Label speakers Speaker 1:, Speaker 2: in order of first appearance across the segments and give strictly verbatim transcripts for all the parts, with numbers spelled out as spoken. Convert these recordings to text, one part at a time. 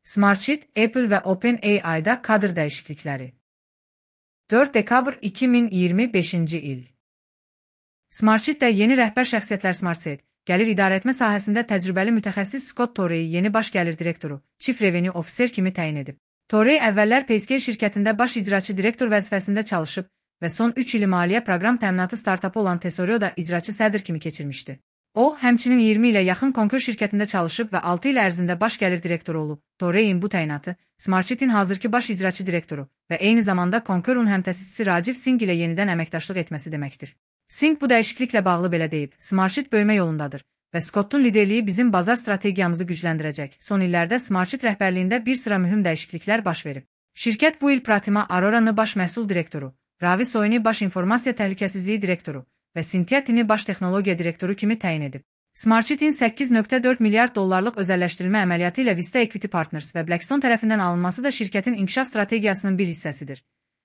Speaker 1: Smartsheet, Apple və OpenAI-da kadr dəyişiklikləri. dörd dekabr iki min iyirmi beşinci il. Smartsheet-də yeni rəhbər şəxsiyyətlər Smartsheet, gəlir idarəetmə sahəsində təcrübəli mütəxəssis Scott Torreyi yeni baş gəlir direktoru, Chief Revenue Officer kimi təyin edib. Torrey əvvəllər Payscale şirkətində baş icraçı direktor vəzifəsində çalışıb və son üç ili maliyyə proqram təminatı startapı olan Tesorio'da icraçı sədr kimi keçirmişdi. O, həmçinin iyirmi ilə yaxın Concur şirkətində çalışıb və altı il ərzində baş gəlir direktoru olub. Torreyin bu təyinatı, Smartsheet-in hazırki baş icraçı direktoru və eyni zamanda Concur'un həmtəsisçisi Rajiv Singh ilə yenidən əməkdaşlıq etməsi deməkdir. Singh bu dəyişikliklə bağlı belə deyib, Smartsheet böyümə yolundadır və Scott'un liderliyi bizim bazar strategiyamızı gücləndirəcək. Son illərdə Smartsheet rəhbərliyində bir sıra mühüm dəyişikliklər baş verib. Şirkət bu il Pratima Arora'nı baş məhsul direktoru, Ravi Soyni baş informasiya təhlükəsizliyi direktoru və Cynthia Tini baş texnologiya direktoru kimi təyin edib. Smartsheet-in səkkiz nöqtə dörd milyard dollarlıq özəlləşdirilmə əməliyyatı ilə Vista Equity Partners və Blackstone tərəfindən alınması da şirkətin inkişaf strategiyasının bir hissəsidir.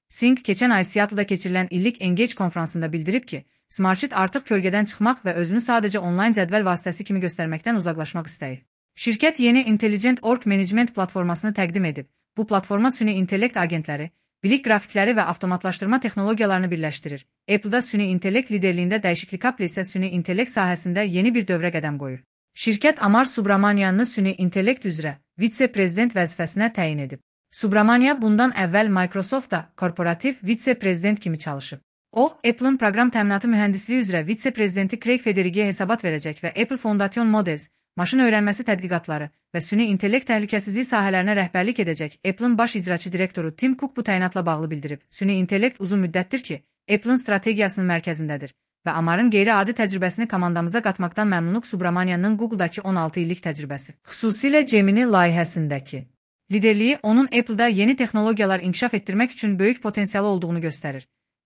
Speaker 1: Singh keçən ay Seattle'da keçirilən illik Engage konfransında bildirib ki, Smartsheet artıq kölgədən çıxmaq və özünü sadəcə onlayn cədvəl vasitəsi kimi göstərməkdən uzaqlaşmaq istəyir. Şirkət yeni Intelligent Org Management platformasını təqdim edib. Bu platforma süni intellekt agentləri, bilik qrafikləri və avtomatlaşdırma texnologiyalarını birləşdirir. Apple'da süni intellekt liderliyində dəyişiklik Apple isə süni intellekt sahəsində yeni bir dövrə qədəm qoyur. Şirkət Amar Subramanian'ı süni intellekt üzrə vitse-prezident vəzifəsinə təyin edib. Subramania bundan əvvəl Microsoftda korporativ vitse-prezident kimi çalışıb. O, Apple'ın proqram təminatı mühəndisliyi üzrə vitse-prezidenti Craig Federighi'yə hesabat verəcək və Apple Foundation Models, maşın öyrənməsi tədqiqatları və süni intellekt təhlükəsizliyi sahələrinə rəhbərlik edəcək. Apple'ın baş icraçı direktoru Tim Cook bu təyinatla bağlı bildirib. Süni intellekt uzun müddətdir ki, Apple'ın strategiyasının mərkəzindədir və Amar'ın qeyri-adi təcrübəsini komandamıza qatmaqdan məmnunluq. Subramanian'ın Google'dakı on altı illik təcrübəsi, xüsusilə Gemini layihəsindəki liderliyi onun Apple'da yeni texnologiyalar inkişaf etdirmək üçün böyük potensialı olduğunu göstərir.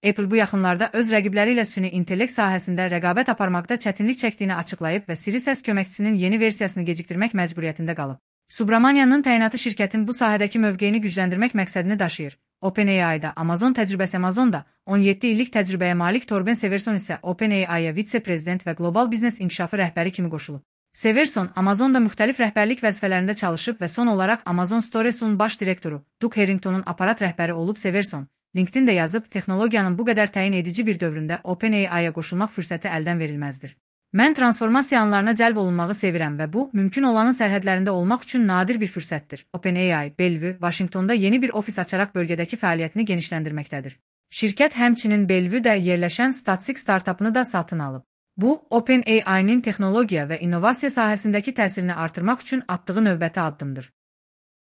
Speaker 1: Apple bu yaxınlarda öz rəqibləri ilə süni intellekt sahəsində rəqabət aparmaqda çətinlik çəkdiyini açıqlayıb və Siri səs köməkçisinin yeni versiyasını gecikdirmək məcburiyyətində qalıb. Subramanian'ın təyinatı şirkətin bu sahədəki mövqeyini gücləndirmək məqsədini daşıyır. OpenAI-da Amazon təcrübəsi Amazonda on yeddi illik təcrübəyə malik Torben Severson isə OpenAI-ya vitse-prezident və qlobal biznes inkişafı rəhbəri kimi qoşulub. Severson Amazonda müxtəlif rəhbərlik vəzifələrində çalışıb və son olaraq Amazon Stores'un baş direktoru Doug Harrington'un aparat rəhbəri olub. Severson LinkedIn-də yazıb, texnologiyanın bu qədər təyin edici bir dövründə OpenAI-ya qoşulmaq fürsəti əldən verilməzdir. Mən transformasiya anlarına cəlb olunmağı sevirəm və bu, mümkün olanın sərhədlərində olmaq üçün nadir bir fürsətdir. OpenAI, Bellevue, Washingtonda yeni bir ofis açaraq bölgədəki fəaliyyətini genişləndirməkdədir. Şirkət həmçinin Bellevue'də yerləşən Statsig startapını da satın alıb. Bu, OpenAI-nin texnologiya və innovasiya sahəsindəki təsirini artırmaq üçün atdığı növbəti addımdır.